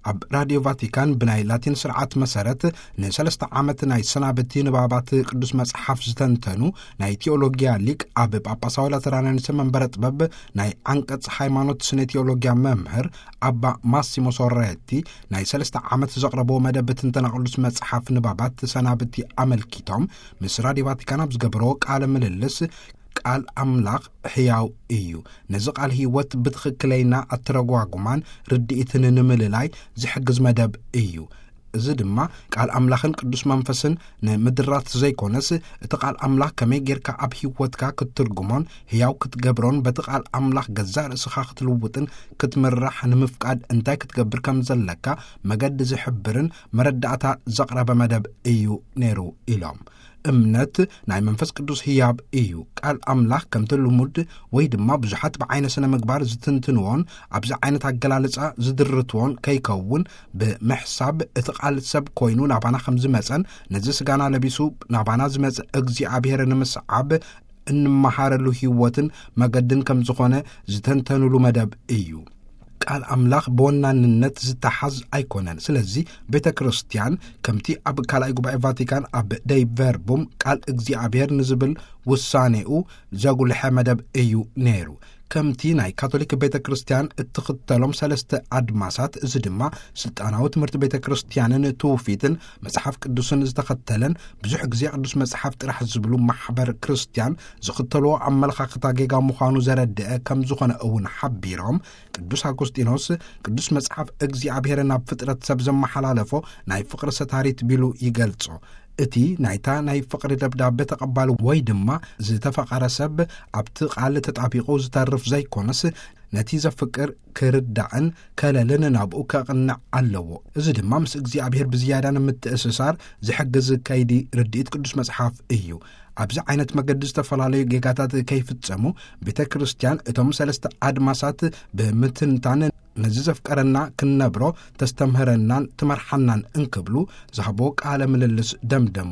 ኣብ ራድዮ ቫቲካን ብናይ ላቲን ስርዓት መሰረት ንሰለስተ ዓመት ናይ ሰናብቲ ንባባት ቅዱስ መጽሓፍ ዝተንተኑ ናይ ቴዎሎጊያ ሊቅ፣ ኣብ ጳጳሳዊ ላተራንያኒስ መንበረ ጥበብ ናይ ዓንቀጽ ሃይማኖት ስነ ቴዎሎጊያ መምህር ኣባ ማሲሞ ሶሬቲ ናይ ሰለስተ ዓመት ዘቕረብዎ መደብ ትንተና ቅዱስ መጽሓፍ ንባባት ሰናብቲ ኣመልኪቶም ምስ ራድዮ ቫቲካን ኣብ ዝገበርዎ ቃለ ምልልስ፣ ቃል ኣምላኽ ሕያው እዩ። ነዚ ቃል ህይወት ብትኽክለይና ኣተረጓጉማን ርድኢትን ንምልላይ ዝሕግዝ መደብ እዩ። እዚ ድማ ቃል ኣምላኽን ቅዱስ መንፈስን ንምድራት ዘይኮነስ፣ እቲ ቃል ኣምላኽ ከመይ ጌርካ ኣብ ህይወትካ ክትትርጉሞን ህያው ክትገብሮን፣ በቲ ቃል ኣምላኽ ገዛእ ርእስኻ ክትልውጥን ክትምራሕ ንምፍቃድ እንታይ ክትገብር ከም ዘለካ መገዲ ዝሕብርን መረዳእታ ዘቕረበ መደብ እዩ ነይሩ ኢሎም። እምነት ናይ መንፈስ ቅዱስ ህያብ እዩ። ቃል ኣምላኽ ከምቲ ልሙድ ወይ ድማ ብዙሓት ብዓይነ ስነ ምግባር ዝትንትንዎን ኣብዚ ዓይነት ኣገላልጻ ዝድርትዎን ከይከውን ብምሕሳብ፣ እቲ ቃል ሰብ ኮይኑ ናባና ከም ዝመጸን ነዚ ስጋና ለቢሱ ናባና ዝመጸ እግዚኣብሔር ንምስዓብ እንመሃረሉ ህይወትን መገድን ከም ዝኾነ ዝተንተኑሉ መደብ እዩ። ቃል ኣምላኽ ብወናንነት ዝተሓዝ ኣይኮነን። ስለዚ ቤተ ክርስቲያን ከምቲ ኣብ ካልኣይ ጉባኤ ቫቲካን ኣብ ደይ ቨርቡም ቃል እግዚኣብሔር ንዝብል ውሳኔኡ ዘጉልሐ መደብ እዩ ነይሩ። ከምቲ ናይ ካቶሊክ ቤተ ክርስቲያን እትኽተሎም ሰለስተ ኣድማሳት፣ እዚ ድማ ስልጣናዊ ትምህርቲ ቤተ ክርስቲያንን ትውፊትን መጽሓፍ ቅዱስን ዝተኸተለን ብዙሕ ግዜ ቅዱስ መጽሓፍ ጥራሕ ዝብሉ ማሕበር ክርስቲያን ዝኽተልዎ ኣመለኻኽታ ጌጋ ምዃኑ ዘረድአ ከም ዝኾነ እውን ሓቢሮም፣ ቅዱስ ኣጉስጢኖስ ቅዱስ መጽሓፍ እግዚኣብሔር ናብ ፍጥረት ሰብ ዘመሓላለፎ ናይ ፍቕሪ ሰታሪት ቢሉ ይገልጾ። እቲ ናይታ ናይ ፍቕሪ ደብዳቤ ተቐባሊ ወይ ድማ ዝተፈቐረ ሰብ ኣብቲ ቃል ተጣቢቑ ዝተርፍ ዘይኮነስ፣ ነቲ ዘፍቅር ክርዳእን ከለልን ናብኡ ከቕንዕ ኣለዎ። እዚ ድማ ምስ እግዚኣብሔር ብዝያዳ ንምትእስሳር ዝሕግዝ ከይዲ ርድኢት ቅዱስ መጽሓፍ እዩ። ኣብዚ ዓይነት መገዲ ዝተፈላለዩ ጌጋታት ከይፍጸሙ ቤተ ክርስቲያን እቶም ሰለስተ ኣድማሳት ብምትንታን ነዚ ዘፍቀረና ክንነብሮ ተስተምህረናን ትመርሓናን እንክብሉ ዝሃቦ ቃለ ምልልስ ደምደሙ።